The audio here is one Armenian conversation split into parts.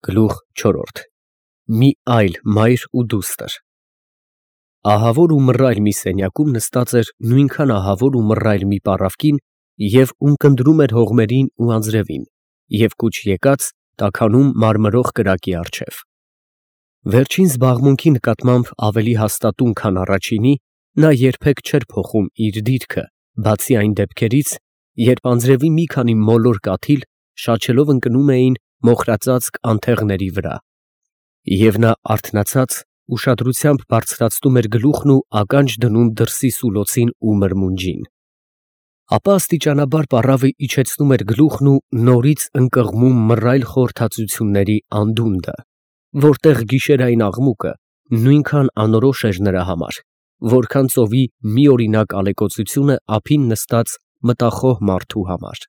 Գլուխ չորրորդ Մի այլ մայր ու դուստր Ահավոր ու մռայլ մի սենյակում նստած էր նույնքան ահավոր ու մռայլ մի պառավ կին և ունկնդրում էր հողմերին ու անձրևին և կուչ եկած տաքանում մարմրող կրակի առջև։ Վերջին զբաղմունքի նկատմամբ ավելի հաստատուն, քան առաջինի, նա երբեք չէր փոխում իր դիրքը, բացի այն դեպքերից, երբ անձրևի մի քանի մոլոր կաթիլ շաչելով ընկնում էին մոխրածածկ անթեղների վրա, և նա արթնացած ուշադրությամբ բարձրացնում էր գլուխն ու ականջ դնում դրսի սուլոցին ու մրմունջին։ Ապա աստիճանաբար պառավը իջեցնում էր գլուխն ու նորից ընկղմում մռայլ խորհրդածությունների անդունդը, որտեղ գիշերային աղմուկը նույնքան անորոշ էր նրա համար, որքան ծովի միօրինակ ալեկոծությունը ափին նստած մտախոհ մարդու համար։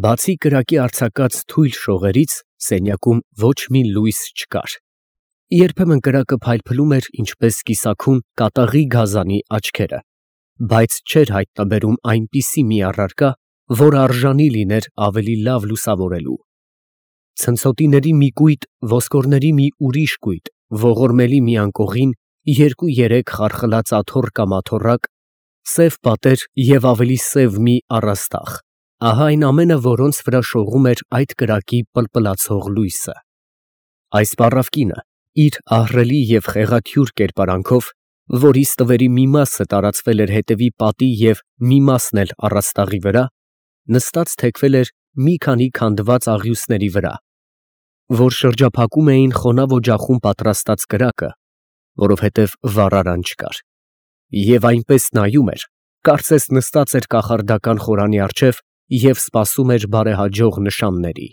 Բացի կրակի արձակած թույլ շողերից սենյակում ոչ մի լույս չկար։ Երբեմն կրակը փայլփլում էր ինչպես կիսաքուն կատաղի գազանի աչքերը, բայց չէր հայտնաբերում այնպիսի մի առարկա, որը արժանի լիներ ավելի լավ լուսավորելու։ Ցնցոտիների մի կույտ, ոսկորների մի ուրիշ կույտ, ողորմելի մի անկողին, երկու-երեք խարխլած աթոռ կամ աթոռակ, սև պատեր և ավելի սև մի առաստաղ, ահա այն ամենը, որոնց վրա շողում էր այդ կրակի պլպլացող լույսը։ Այս պառավ կինը իր ահռելի և խեղաթյուր կերպարանքով, որի ստվերի մի մասը տարածվել էր հետևի պատի և մի մասն էլ առաստաղի վրա, նստած թեքվել էր մի քանի քանդված աղյուսների վրա, որ շրջափակում էին խոնավ օջախում պատրաստած կրակը, որովհետև վառարան չկար, և այնպես նայում էր, կարծես նստած էր կախարդական խորանի առջև և սպասում էր բարեհաջող նշանների։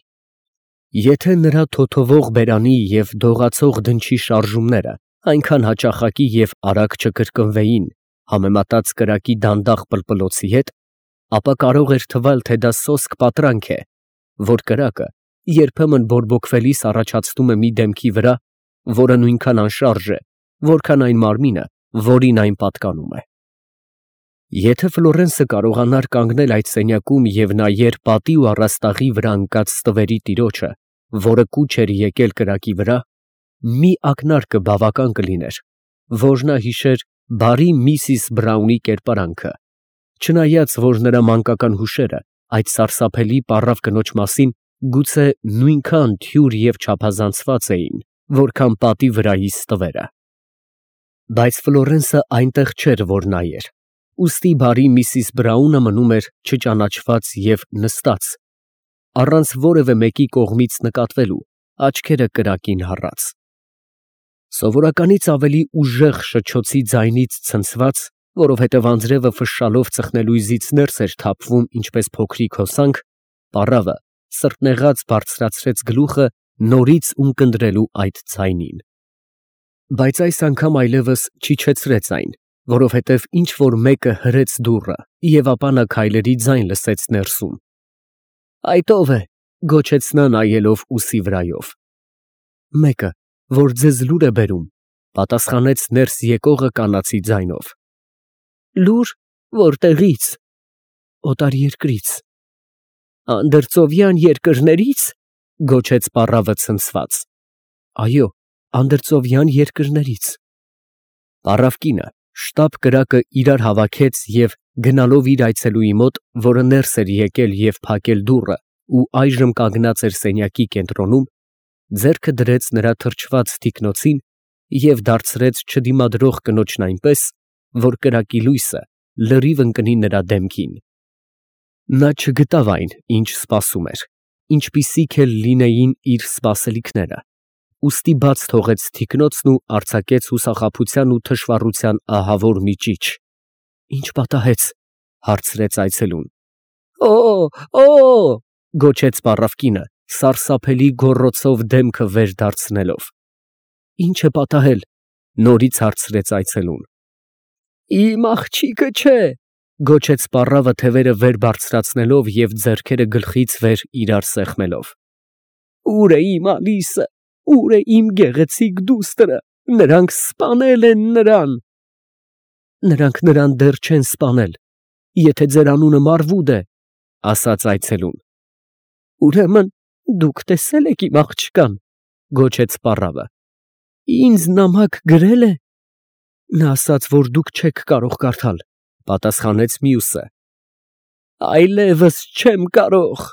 Եթե նրա թոթովող բերանի և դողացող դնչի շարժումները այնքան հաճախակի և արագ չկրկնվեին համեմատած կրակի դանդաղ պլպլոցի հետ, ապա կարող էր թվալ, թե դա սոսկ պատրանք է, որ կրակը երբեմն բորբոքվելիս առաջացնում է մի դեմքի վրա, որը նույնքան անշարժ է, որքան այն մարմինը, որին այն պատկանում է։ Եթե Ֆլորենսը կարողանար կանգնել այդ սենյակում և նայեր պատի ու առաստաղի վրա ընկած ստվերի տիրոջը, որը կուչ էր եկել կրակի վրա, մի ակնարկը բավական կլիներ, որ նա հիշեր բարի միսիս Բրաունի կերպարանքը, չնայած որ նրա մանկական հուշերը այդ սարսափելի պառավ կնոջ մասին գուցե նույնքան թյուր և չափազանցված էին, որքան պատի վրայի ստվերը։ Բայց Ֆլորենսը այնտեղ չէր, որ նայեր, ուստի բարի միսիս Բրաունը մնում էր չճանաչված և նստած, առանց որևէ մեկի կողմից նկատվելու, աչքերը կրակին հառած։ Սովորականից ավելի ուժեղ շչոցի ձայնից ցնցված, որովհետև անձրևը ֆշշալով ծխնելույզից ներս էր թափվում ինչպես փոքրիկ հոսանք, պառավը սրտնեղած բարձրացրեց գլուխը նորից ունկնդրելու այդ ձայնին։ Բայց այս անգամ այլևս չիջեցրեց այն, որովհետև ինչ֊որ մեկը հրեց դուռը, և ապա նա քայլերի ձայն լսեց ներսում։ «Այդ ո՞վ է» գոչեց նա, նայելով ուսի վրայով։ «Մեկը, որ ձեզ լուր է բերում», պատասխանեց ներս եկողը կանացի ձայնով։ «Լուր, որտեղի՞ց»։ «Օտարերկրից»։ «Անդրծովյան երկրների՞ց», գոչեց պառավը ցնցված։ «Այո, անդրծովյան երկրներից»։ Պառավ կինը շտապ կրակը իրար հավաքեց և գնալով իր այցելուի մոտ, որը ներս էր եկել և փակել դուռը ու այժմ կանգնած էր սենյակի կենտրոնում, ձեռքը դրեց նրա թրջված թիկնոցին և դարձրեց չդիմադրող կնոջն այնպես, որ կրակի լույսը լրիվ ընկնի նրա դեմքին։ Նա չգտավ այն, ինչ սպասում էր, ինչպիսիք էլ լինեին իր սպասելիքները, ուստի բաց թողեց թիկնոցն ու արձակեց հուսախաբության ու թշվառության ահավոր մի ճիչ։ «Ի՞նչ պատահեց» հարցրեց այցելուն։ «Օ՜, գոչեց պառավ կինը, սարսափելի գոռոցով դեմքը վեր դարձնելով։ «Ի՞նչ է պատահել» նորից հարցրեց այցելուն։ «Իմ աղջիկը չէ», գոչեց պառավը թևերը վեր բարձրացնելով և ձեռքերը գլխից վեր իրար սեղմելով։ «Ո՞ւր է իմ Ալիսը, ո՞ւր է իմ գեղեցիկ դուստրը, նրանք սպանել են նրան»։ «Նրանք նրան դեռ չեն սպանել, եթե ձեր անունը Մարվուդ է», ասաց այցելուն։ «Ուրեմն դուք տեսե՞լ եք իմ աղջկան»։ Գոչեց պառավը։ Ինձ նամակ գրել է։ Նա ասաց, որ դուք չեք կարող կարդալ, պատասխանեց մյուսը։ Այլևս չեմ կարող,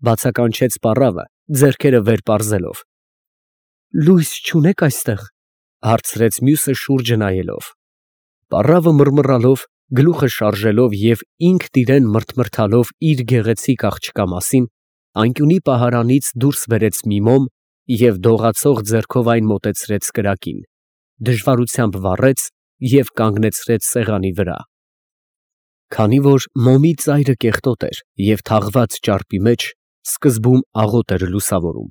բացականչեց պառավը, ձեռքերը վեր պարզելով։ Լույս չունեք այստեղ, հարցրեց մյուսը շուրջը նայելով։ Պառավը մռմռալով, գլուխը շարժելով և ինքն իրեն մրթմրթալով իր գեղեցիկ աղջկա մասին, անկյունի պահարանից դուրս բերեց մի մոմ և դողացող ձեռքով այն մոտեցրեց կրակին, դժվարությամբ վառեց և կանգնեցրեց սեղանի վրա։ Քանի որ մոմի ծայրը կեղտոտ էր և թաղված ճարպի մեջ, սկզբում աղոտ էր լուսավորում,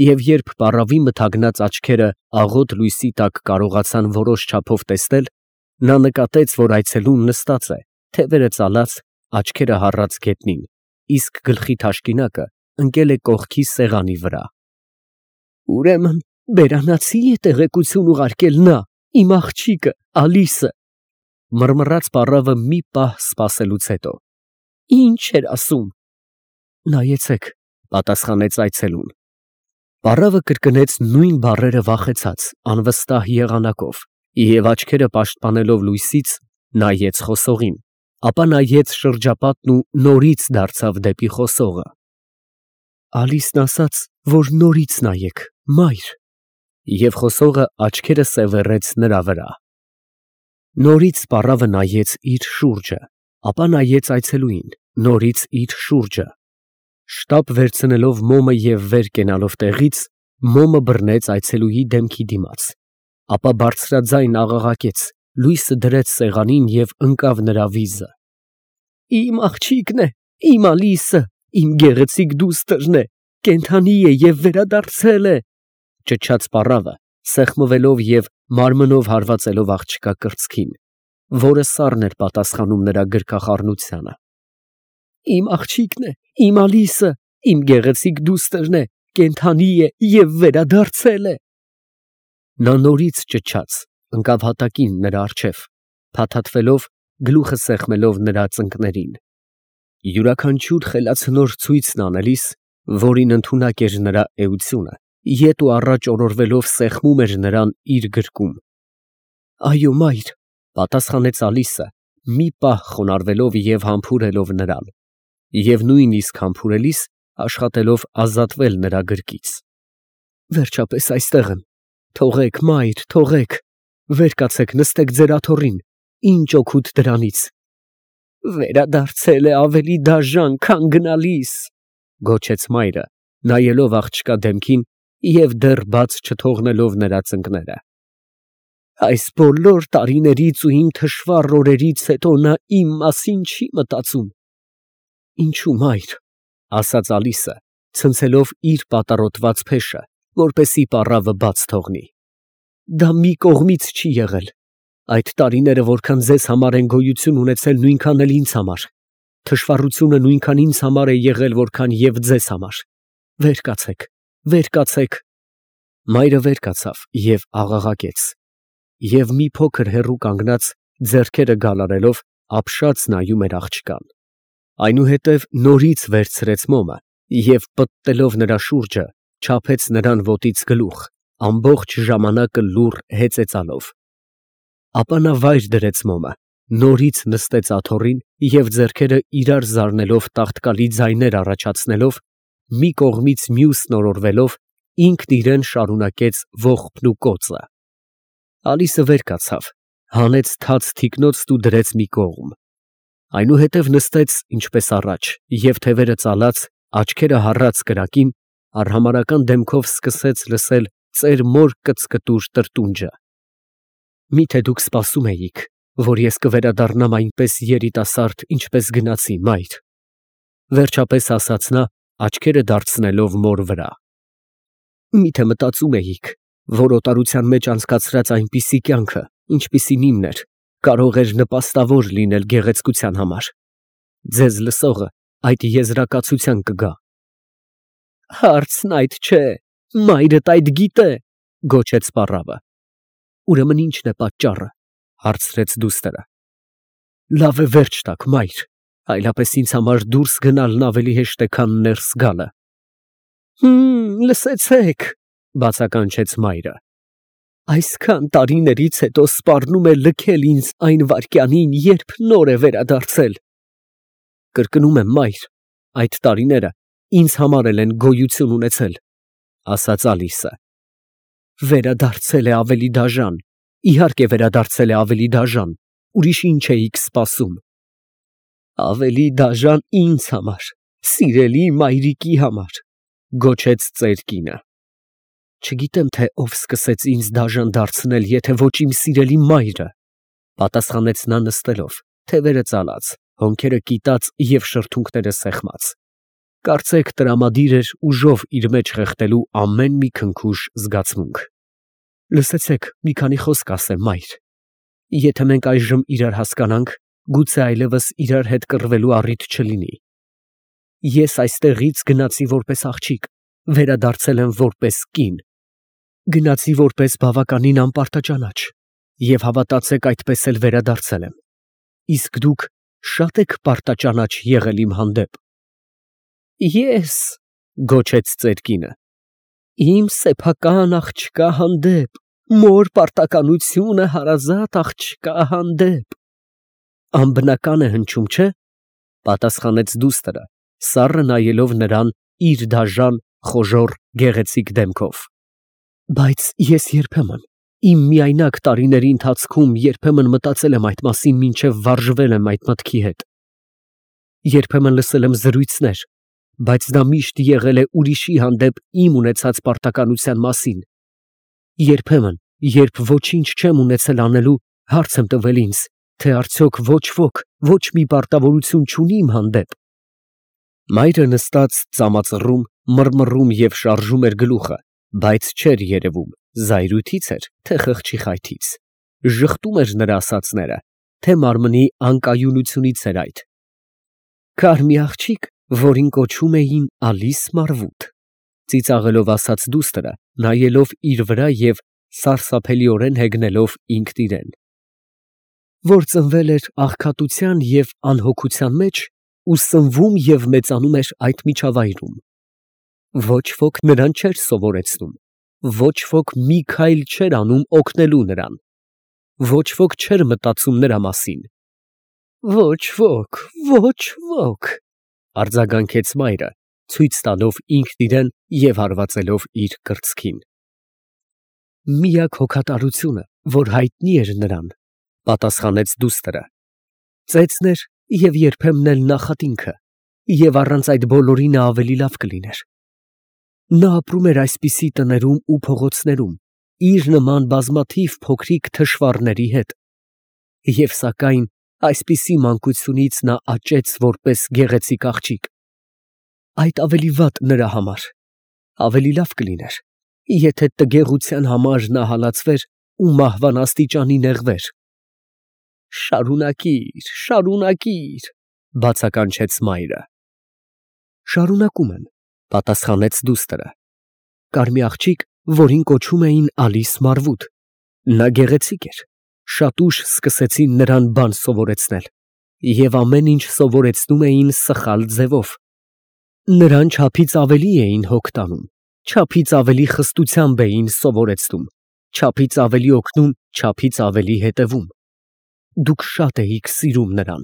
և երբ պառավի մթագնած աչքերը աղոտ լույսի տակ կարողացան որոշ չափով տեսնել, նա նկատեց, որ այցելուն նստած է, թևերը ծալած, աչքերը հառած գետնին, իսկ գլխի թաշկինակը ընկել է կողքի սեղանի վրա։ Ուրեմն բերանացի է տեղեկություն ուղարկել նա, իմ աղջիկը, Ալիսը, մռմռաց պառավը մի պահ սպասելուց հետո։ Ինչ էր ասում։ Նայեցեք, պատասխանեց այցելուն։ Պառավը կրկնեց նույն բառերը վախեցած, անվստահ եղանակով, և աչքերը պաշտպանելով լույսից, նայեց խոսողին, ապա նայեց շրջապատն ու նորից դարձավ դեպի խոսողը։ Ալիսն ասաց, որ նորից նայեք, մայր, և խոսողը աչքերը սևեռեց նրա վրա։ Նորից պառավը նայեց իր շուրջը, ապա նայեց այցելուին, նորից իր շուրջը։ Շտապ վերցնելով մոմը և վեր կենալով տեղից, մոմը բռնեց այցելուի դեմքի դիմաց, ապա բարձրաձայն աղաղակեց, լույսը դրեց սեղանին և ընկավ նրա վիզը։ Իմ աղջիկն է, իմ Ալիսը, իմ գեղեցիկ դուստրն է, կենդանի է և վերադարձել է, ճչաց պառավը, սեղմվելով և մարմնով հարվածելով աղջկա կրծքին, որը սառն էր պատասխանում նրա գրկախառնությանը։ Իմ աղջիկն է, իմ Ալիսը, իմ գեղեցիկ դուստրն է, կենդանի է և վերադարձել է։ Նա նորից ճչաց, ընկավ հատակին նրա առջև, փաթաթվելով, գլուխը սեղմելով նրա ծնկներին։ Յուրաքանչյուր խելացնոր ցույցն անելիս, որին ընդունակ էր նրա էությունը, ետ ու առաջ օրորվելով սեղմում էր նրան իր գրկում։ Այո, մայր, պատասխանեց Ալիսը, մի պահ խոնարհվելով և համբուրելով նրան, և նույնիսկ համբուրելիս աշխատելով ազատվել նրա գրկից։ Վերջապես այստեղ եմ, թողեք, մայր, թողեք, վեր կացեք, նստեք ձեր աթոռին, ինչ օգուտ դրանից։ Վերադարձել է ավելի դաժան, քան գնալիս, գոչեց մայրը, նայելով աղջկա դեմքին և դեռ բաց չթողնելով նրա ծնկները։ Այս բոլոր տարիներից ու իմ թշվառ օրերից հետո նա իմ մասին չի մտածում։ Ինչու, մայր, ասաց Ալիսը, ցնցելով իր պատառոտված փեշը, որպեսզի պառավը բաց թողնի։ Դա մի կողմից չի եղել։ Այդ տարիները որքան ձեզ համար են գոյություն ունեցել, նույնքան էլ ինձ համար։ Թշվառությունը նույնքան ինձ համար է եղել, որքան և ձեզ համար։ Վեր կացեք, վեր կացեք։ Մայրը վեր կացավ և աղաղակեց, և մի փոքր հեռու կանգնած, ձեռքերը գալարելով, ապշած նայում էր աղջկան։ Այնուհետև նորից վերցրեց մոմը և պտտելով նրա շուրջը, չափեց նրան ոտից գլուխ, ամբողջ ժամանակը լուռ հեծեծալով։ Ապա նա վայր դրեց մոմը, նորից նստեց աթոռին և ձեռքերը իրար զարնելով տաղտկալի ձայներ առաջացնելով, մի կողմից մյուսն օրորվելով, ինքն իրեն շարունակեց ողբն ու կոծը։ Ալիսը վեր կացավ, հանեց թաց թիկնոցն ու դրեց մի կողմ։ Այնուհետև նստեց ինչպես առաջ և թևերը ծալած, աչքերը հառած կրակին, արհամարհական դեմքով սկսեց լսել ծեր մոր կծկտուր տրտունջը։ Մի՞թե դուք սպասում էիք, որ ես կվերադառնամ այնպես երիտասարդ, ինչպես գնացի, մայր, վերջապես ասաց նա, աչքերը դարձնելով մոր վրա։ Մի՞թե մտածում էիք, որ օտարության մեջ անցկացրած այնպիսի կյանքը, ինչպիսին իմն էր, կարող էր նպաստավոր լինել գեղեցկության համար։ Ձեզ լսողը այդ եզրակացության կգա։ Հարցն այդ չէ, մայրդ այդ գիտե, գոչեց պառավը։ Ուրեմն ի՞նչն է պատճառը, հարցրեց դուստրը։ Լավ է վերջ տաք, մայր, այլապես ինձ համար դուրս գնալն ավելի հեշտ է, քան ներս գալը։ Լսեցեք, Բացականչեց մայրը։ Այսքան տարիներից հետո սպառնում է լքել ինձ այն վայրկյանին, երբ նոր է վերադարձել։ Կրկնում եմ, մայր, այդ տարիները ինձ համար էլ են գոյություն ունեցել, ասաց Ալիսը։ Վերադարձել է ավելի դաժան, իհարկե վերադարձել է ավելի դաժան, ուրիշ ինչ էիք սպասում։ Ավելի դաժան ինձ համար, սիրելի մայրիկի համար, գոչեց ծեր կինը։ Չգիտեմ, թե ով սկսեց ինձ դաժան դարձնել, եթե ոչ իմ սիրելի մայրը, պատասխանեց նա նստելով, թևերը ծալած, հոնքերը կիտած և շրթունքները սեղմած։ Կարծեք տրամադիր էր ուժով իր մեջ խեղդելու ամեն մի քնքուշ զգացմունք։ Լսեցեք, մի քանի խոսք ասեմ, մայր։ Եթե մենք այժմ իրար հասկանանք, գուցե այլևս իրար հետ կռվելու առիթ չլինի։ Ես այստեղից գնացի որպես աղջիկ, վերադարձել եմ որպես կին։ Գնացի որպես բավականին անպարտաճանաչ, և հավատացեք, այդպես էլ վերադարձել եմ։ Իսկ դուք շատ եք պարտաճանաչ եղել իմ հանդեպ։ Ես, գոչեց ծեր կինը, իմ սեփական աղջկա հանդեպ, մոր պարտականությունը հարազատ աղջկա հանդեպ։ Անբնական է հնչում, չէ՞, պատասխանեց դուստրը, սառը նայելով նրան իր դաժան, խոժոռ, գեղեցիկ դեմքով։ Բայց ես երբեմն, իմ միայնակ տարիների ընթացքում երբեմն մտածել եմ այդ մասին, մինչև վարժվել եմ այդ մտքի հետ։ Երբեմն լսել եմ զրույցներ, բայց դա միշտ եղել է ուրիշի հանդեպ իմ ունեցած պարտականության մասին։ Երբեմն, երբ ոչինչ չեմ ունեցել անելու, հարց եմ տվել ինձ, թե արդյոք ոչ ոք, ոչ մի պարտավորություն չունի իմ հանդեպ։ Մայրը նստած ծամածռում, մռմռում և շարժում էր գլուխը, բայց չէր երևում, զայրույթից էր, թե խղճի խայթից, ժխտում էր նրա ասածները, թե մարմնի անկայունությունից էր այդ։ Կար մի աղջիկ, որին կոչում էին Ալիս Մարվութ, ծիծաղելով ասաց դուստրը, նայելով իր վրա և սարսափելիորեն հեգնելով ինքն իրեն, որ ծնվել էր աղքատության և անհոգության մեջ ու սնվում և մեծանում էր այդ միջավայրում։ Ոչ ոք նրան չէր սովորեցնում, ոչ ոք մի քայլ չէր անում օգնելու նրան, ոչ ոք չէր մտածում նրա մասին։ Ոչ ոք, արձագանքեց մայրը, ցույց տալով ինքն իրեն և հարվածելով իր կրծքին։ Միակ հոգատարությունը, որ հայտնի էր նրան, պատասխանեց դուստրը, ծեծն էր և երբեմն էլ նախատինքը, և առանց այդ բոլորի նա ավելի լավ կլիներ։ Նա ապրում էր այսպիսի տներում ու փողոցներում, իր նման բազմաթիվ փոքրիկ թշվառների հետ, և սակայն այսպիսի մանկությունից նա աճեց որպես գեղեցիկ աղջիկ։ Այդ ավելի վատ նրա համար, ավելի լավ կլիներ, եթե տգեղության համար նա հալածվեր ու մահվան աստիճանի նեղվեր։ Շարունակիր, բացականչեց մայրը։ Շարունակում եմ, պատասխանեց դուստրը։ Կար մի աղջիկ, որին կոչում էին Ալիս Մարվութ, նա գեղեցիկ էր, շատ ուշ սկսեցին նրան բան սովորեցնել, և ամեն ինչ սովորեցնում էին սխալ ձևով։ Նրան չափից ավելի էին հոգ տանում, չափից ավելի խստությամբ էին սովորեցնում, չափից ավելի օգնում, չափից ավելի հետևում։ Դուք շատ էիք սիրում նրան։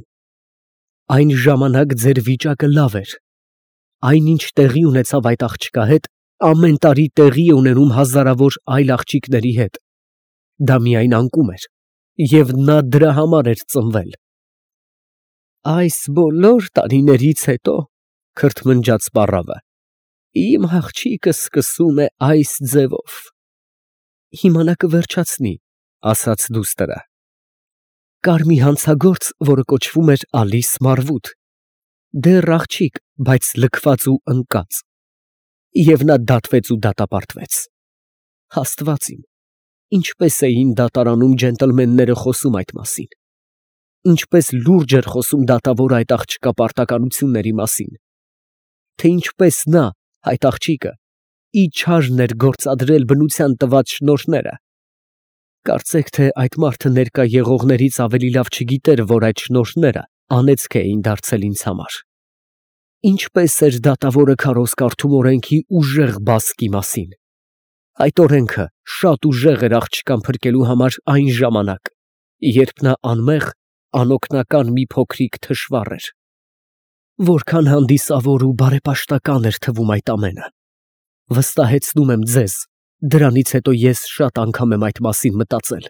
Այն ժամանակ ձեր վիճակը լավ էր։ Այնինչ տեղի ունեցավ այդ աղջկա հետ, ամեն տարի տեղի է ունենում հազարավոր այլ աղջիկների հետ։ Դա միայն անկում էր, և նա դրա համար էր ծնվել։ Այս բոլոր տարիներից հետո, քրթմնջաց պառավը, իմ աղջիկը սկսում է այս ձևով։ Հիմա նա կվերջացնի, ասաց դուստրը։ Կար մի հանցագործ, որը կոչվում էր Ալիս Մարվութ, դեռ աղջիկ, բայց լքված ու ընկած, և նա դատվեց ու դատապարտվեց։ Աստված իմ, ինչպես էին դատարանում ջենտլմենները խոսում այդ մասին, ինչպես լուրջ էր խոսում դատավորը այդ աղջկա պարտականությունների մասին, թե ինչպես նա, այդ աղջիկը, իչարն էր գործադրել բնության տված շնորհները։ Կարծեք, թե այդ մարդը ներկա եղողներից ավելի լավ չգիտեր, որ այդ շնորհները անեծք էին դարձել ինձ համար։ Ինչպես էր դատավորը քարոզ կարդում օրենքի ուժեղ բասկի մասին, Այդ օրենքը շատ ուժեղ էր աղջկան փրկելու համար այն ժամանակ, երբ նա անմեղ, անօգնական մի փոքրիկ թշվառ էր։ Որքան հանդիսավոր ու բարեպաշտական էր թվում այդ ամենը։ Վստահեցնում եմ ձեզ, դրանից հետո ես շատ անգամ եմ այդ մասին մտածել։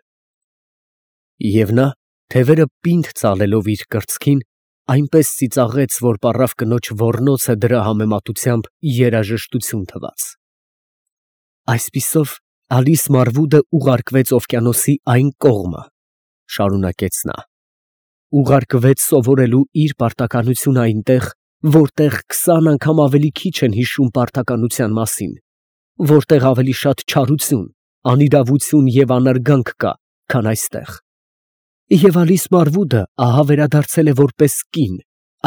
Եվ նա, թևերը պինդ ծալելով իր կրծքին, այնպես ծիծաղեց, որ պառավ կնոջ ոռնոցը դրա համեմատությամբ երաժշտություն թվաց։ Այսպիսով Ալիս Մարվուդը ուղարկվեց օվկիանոսի այն կողմը, շարունակեց նա։ Ուղարկվեց սովորելու իր պարտականությունը այնտեղ, որտեղ 20 անգամ ավելի քիչ են հիշում պարտականության մասին, որտեղ ավելի շատ չարություն, անիրավություն և անարգանք կա, քան այստեղ։ Եվ Ալիս Մարվուդը ահա վերադարձել է որպես կին,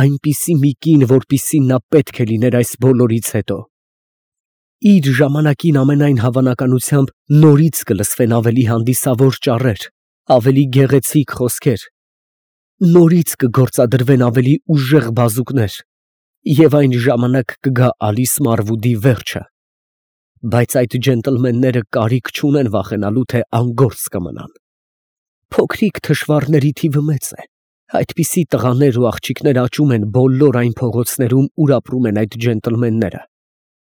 այնպիսի մի կին, որպիսին նա պետք է լիներ այս բոլորից հետո։ Իր ժամանակին ամենայն հավանականությամբ նորից կլսվեն ավելի հանդիսավոր ճառեր, ավելի գեղեցիկ խոսքեր, նորից կգործադրվեն ավելի ուժեղ բազուկներ, և այն ժամանակ կգա Ալիս Մարվուդի վերջը։ Բայց այդ ջենտլմենները կարիք չունեն վախենալու, թե անգործ կմնան։ Փոքրիկ թշվառների թիվը մեծ է։ Այդպիսի տղաներ ու աղջիկներ աճում են բոլոր այն փողոցներում, ուր ապրում են այդ ջենտլմենները,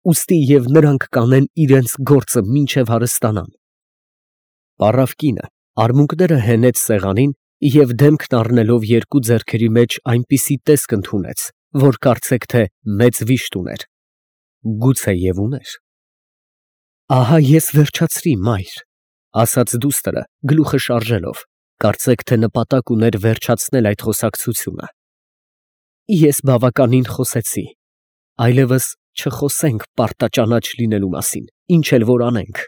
ուստի և նրանք կանեն իրենց գործը մինչև հարստանան։ Պառավ կինը արմունկները հենեց սեղանին և դեմքն առնելով երկու ձեռքերի մեջ այնպիսի տեսք ընդունեց, որ կարծեք թե մեծ վիշտ ուներ։ Գուցե և ուներ։ Ահա ես վերջացրի, մայր, ասաց դուստրը գլուխը շարժելով, կարծեք թե նպատակ ուներ վերջացնել այդ խոսակցությունը։ Ես բավականին խոսեցի, այլևս չխոսենք պարտաճանաչ լինելու մասին, ինչ էլ որ անենք։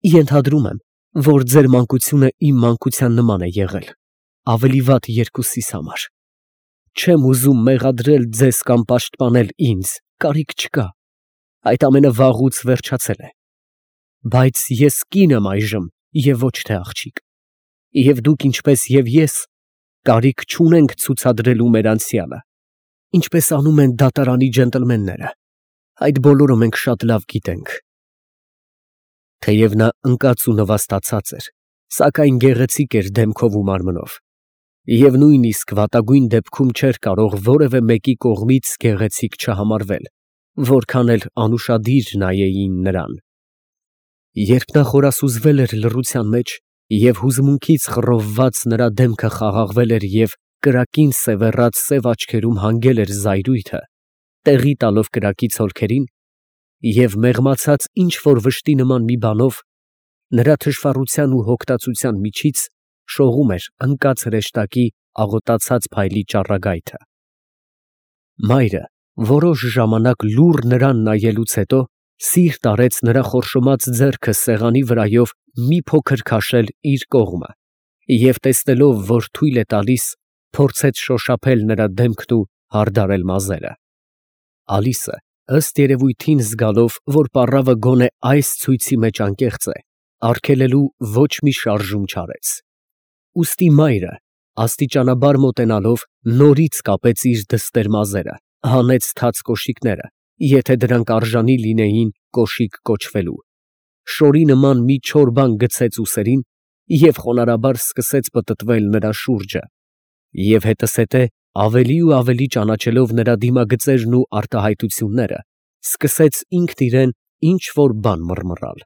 Ենթադրում եմ, որ ձեր մանկությունը իմ մանկության նման է եղել, ավելի վատ երկուսիս համար։ Չեմ ուզում մեղադրել ձեզ կամ պաշտպանել ինձ, կարիք չկա, այդ ամենը վաղուց վերջացել է։ Բայց ես կին եմ այժմ և ոչ թե աղջիկ, և դուք ինչպես և ես կարիք չունենք ցուցադրելու մեր անցյալը, ինչպես անում են դատարանի ջենտլմենները, այդ բոլորը մենք շատ լավ գիտենք։ Թեև նա ընկած ու նվաստացած էր, սակայն գեղեցիկ էր դեմքով ու մարմնով, և նույնիսկ վատագույն դեպքում չէր կարող որևէ մեկի կողմից գեղեցիկ չհամարվել, որքան էլ անուշադիր նայեին նրան։ Երբ նա խորասուզվել էր լռության մեջ և հուզմունքից խռովված նրա դեմքը խաղաղվել էր և կրակին սևեռած սև աչքերում հանգել էր զայրույթը, տեղի տալով կրակի ցոլքերին, և մեղմացած ինչ֊որ վշտի նման մի բանով, նրա թշվառության ու հոգտացության միջից շողում էր ընկած հրեշտակի աղոտացած փայլի ճառագայթը։ Մայրը որոշ ժամանակ լուռ նրան նայելուց հետո սիրտ արեց նրա խորշոմած ձեռքը սեղանի վրայով մի փոքր քաշել իր կողմը և տեսնելով, որ թույլ է տալիս, փորձեց շոշափել նրա դեմքն ու հարդարել մազերը։ Ալիսը, ըստ երևույթին զգալով, որ պառավը գոնե այս ցույցի մեջ անկեղծ է, արգելելու ոչ մի շարժում չարեց։ Ուստի մայրը, աստիճանաբար մոտենալով, նորից կապեց իր դստեր մազերը, հանեց թաց կոշիկները, եթե դրանք արժանի լինեին կոշիկ կոչվելու, շորի նման մի չոր բան գցեց ուսերին և խոնարհաբար սկսեց պտտվել նրա շուրջը, և հետզհետե ավելի ու ավելի ճանաչելով նրա դիմագծերն ու արտահայտությունները, սկսեց ինքն իրան ինչ֊որ բան մռմռալ։